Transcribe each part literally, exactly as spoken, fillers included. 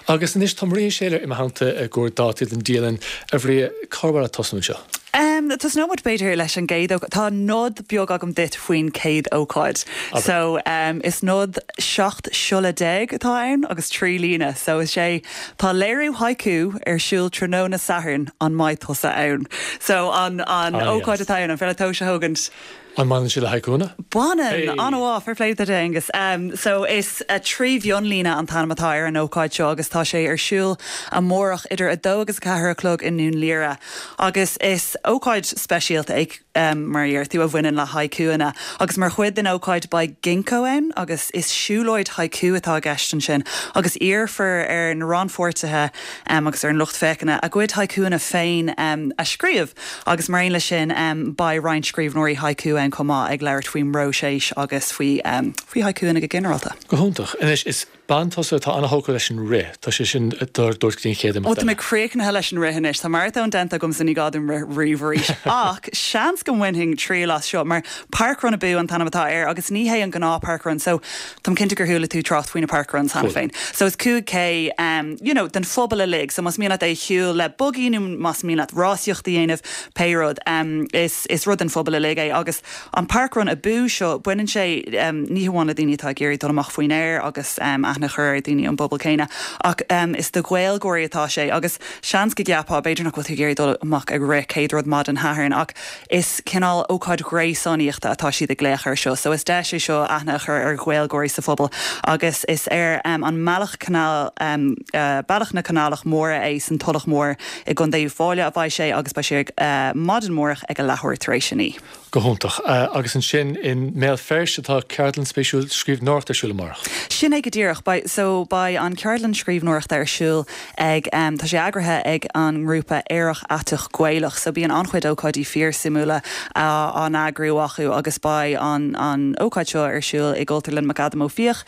Agus anois tá Maria Shailer i mo theannta i gcomhair dátaí den dialann a Mharia cá bhfuil tosnú seo. Um, Tosnóidh muid b'fhéidir leis an gcéad Tá nod beag agam duit faoin céad ócáid. So um, is nod seacht siolla déag atá ann agus trí líne, so is sé tá léiriú haiku ar siúl tráthnóna Sathairn an mbeidh tusa ann. So an an ah, ócáid atá ann an féidir leat a thugaint. An mbaineann sé le haikúnna? Baineann an-mhaith fair play duit Aengus. Um, so is a trí mhionlíne an t-ainm atá ar an ócáid seo agus tá sé ar siúl amárach idir a dó agus a ceathair a chlog i nDún Laoghaire. Agus is ócáid speisialta é um, mar tú a bhaineann le haikúanna. agus mar chuid den ócáid beidh ginkgo ann agus is siúlóid haiku atá i gceist ansin agus iarrfar ar na rannpháirtithe um, agus ar an lucht féachana a gcuid haikúanna féin um, a scríobh agus mar aon leis sin um, beidh roinnt scríbhneoirí haiku ann chomh maith ag labhairt faoin bpróiseas agus faoi um, faoi haikúanna go ginearálta. Go hiontach anois is bean tusa atá an-tógtha leis an rith Tá sé sin dúirt dúirt chéad Ó tá mé críochnaithe leis an rith anois Tá maratón déanta agam ní gá dom rith arís ach seans go mbainfinn triail as seo mar parkrun abú an t-ainm atá air agus ní hé an gnáth parkrun so Tá cinnte gur chuala tú trácht faoina parkrun cheana féin. So is cúig K um, you know, den phobal uilig, so más mian leat é shiúl le buggy nó más mian leat rásaíocht a dhéanamh pé rud um, is, is rud den phobal uilig é agus an parkrun abú seo baineann sé um, ní hamháin le daoine atá ag iarraidh dul amach faoin aer agus um, aithne chur ar daoine an bpobal céanna ach um, is do Ghaeilgeoirí atá sé agus seans go gceapfá b'fhéidir nach bhfuil tú ag iarraidh dul amach ag rith céad rud maidin Shathairn ach is cineál ócáid ghréasánaíochta atá siad ag glaoch air seo, so is deis é seo aithne a chur ar Ghaeilgeoirí sa phobal agus is ar um, an mbealach canál um, uh, bealach na canálach móra é san Tulach Mór i gContae Uíbh Fhailí a bheidh sé agus beidh sé uh, maidin amárach ag a leathuair tar éis a naoi. Go hiontach uh, agus ansin i mBéal Feirste atá ceardlann spéisiúil scríbhneoireachta ar siúl amárach. Sin é go díreach by, so beidh an ceardlann scríbhneoireachta ar siúl ag um, tá sé eagraithe ag an ngrúpa Aerach Aiteach Gaelach, so bíonn an-chuid ócáidí fíorsuimiúla á n-eagrú acu agus beidh an, an ócáid seo ar siúl i gCultúrlann McAdam Ó Fiaich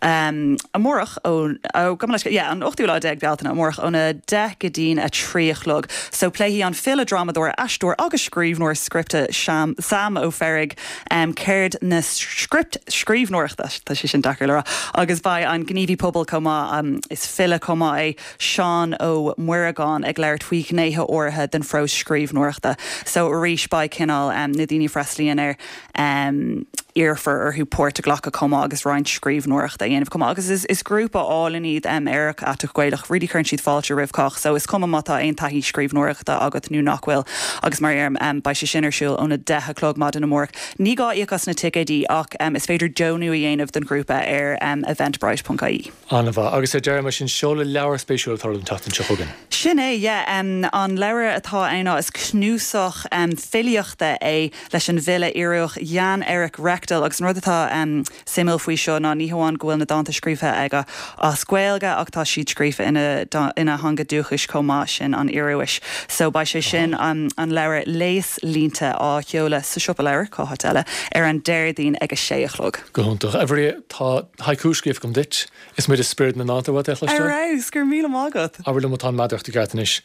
um, amárach ó ó leis yeah, an ochtú lá déag Bealtaine amárach óna deich go dtí a trí a chlog. So pléifidh an file drámadóir aisteoir agus scríbhneoir scripte Sam, Sam Ó Fearraigh um, ceird na script scríbhneoireachta tá sé sin deacair le rá agus beidh an gníomhaí pobail chomh maith um, is file chomh maith é Seán Ó Muireagáin ag labhairt faoi ghnéithe áirithe den phróiseas scríbhneoireachta. So arís beidh cineál um, na daoine freastalaíonn air um, iarrfar orthu páirt a ghlacadh chomh maith agus roinnt scríbhneoireachta a dhéanamh chomh maith agus is, is grúpa álainn iad um, Aerach Aiteach Gaelach really cuireann siad fáilte roimh chách, so is cuma má tá aon taithí scríbhneoireachta agat nó nach bhfuil agus mar um, beidh sé sin ar siúl óna deich a chlog maidin amárach. Ní gá íoc as na ticéidí ach um, is féidir deonú a dhéanamh don ghrúpa ar um, eventbrite.ie. An-mhaith agus ar deireadh mar sin seoladh leabhar spéisiúil atá an tseachtain seo chugainn. Sin é yeah, um, an leabhar atá ann is cnuasach um, filíochta é leis an bhfile Ioruach Jan Erik Rekdal agus an rud atá um, suimiúil faoi seo ná ní hamháin go bhfuil na dánta scríofa aige as Gaeilge ach tá siad scríofa ina, ina theanga dúchais chomh maith sin an Ioruais. So beidh sé sin um, an leabhar Léas Línte á sheoladh sa siopa leabhar cá háit eile ar an Déardaoin ag a sé a chlog. Go hiontach. A Mharia tá haiku scríofa agam duit is muid spiorad na ndánta what Ar go raibh míle maith agat. Abair liom atá meadarachta ceart anois.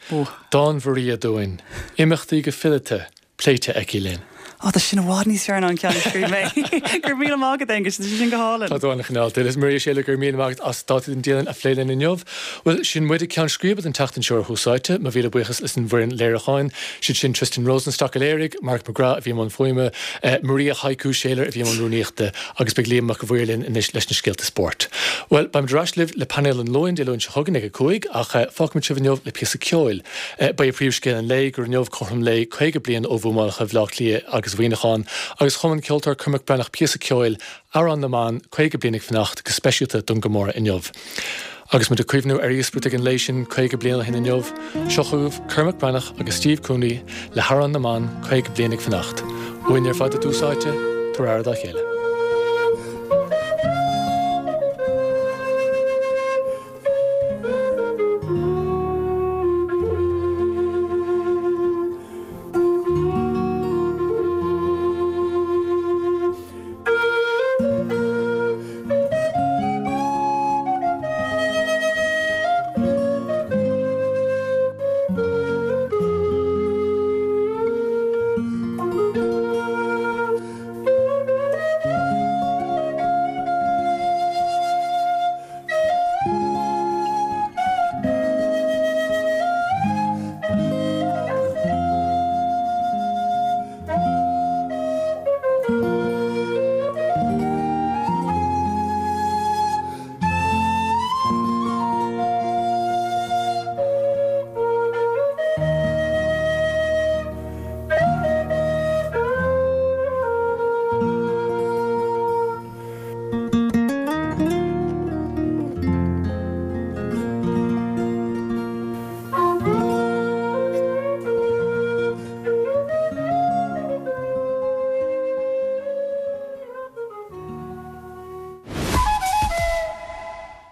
Dán Mharia dúinn, imeachtaí go fileata pléite aici linn. Á tá sin i bhfad níos fearr ná an ceann a scríobh mé. Gur míle mágad agus sin go hálainn. Tá an chineál is Maria Shailer go raibh míle maith agat as dátaí den dialann a phlé linn inniu. Well sin muid ag ceann scríbe an tseachtain seo Tús Áite, mo mhíle buíochas leis an bhfoireann léiriúcháin, siad sin Tristan Rosenstock léirigh, Mark McGrath a bhí an fuaime, eh, Maria Haiku Shailer a bhí an rúnaíochta agus beidh Liam Mac Bhuirlin anois leis na scéalta spóirt. Well beimid ar ais libh le painéal an Luain Dé Luain seo chugainn ag a cúig ach eh, fágfaimid sibh inniu le píosa ceoil. Eh, Beidh príomhscéal an lae gur inniu cothrom lae caoga bliain ó bhuamálacha Bhaile Átha Cliath agus Mhuineacháin agus chum an ceoltóir Cormac Breathnach píosa ceoil Amhrán na mBan caoga bliain ag fanacht go speisialta don gcomóradh inniu. Agus muid ag cuimhniú ar íospartaigh an lae sin caoga bliain ó shin inniu, seo chugaibh Cormac Breathnach agus Steve Cooney le hAmhrán na mBan caoga bliain ag fanacht. Uainn ar fad i dTús Áite, tabhair aire dá chéile.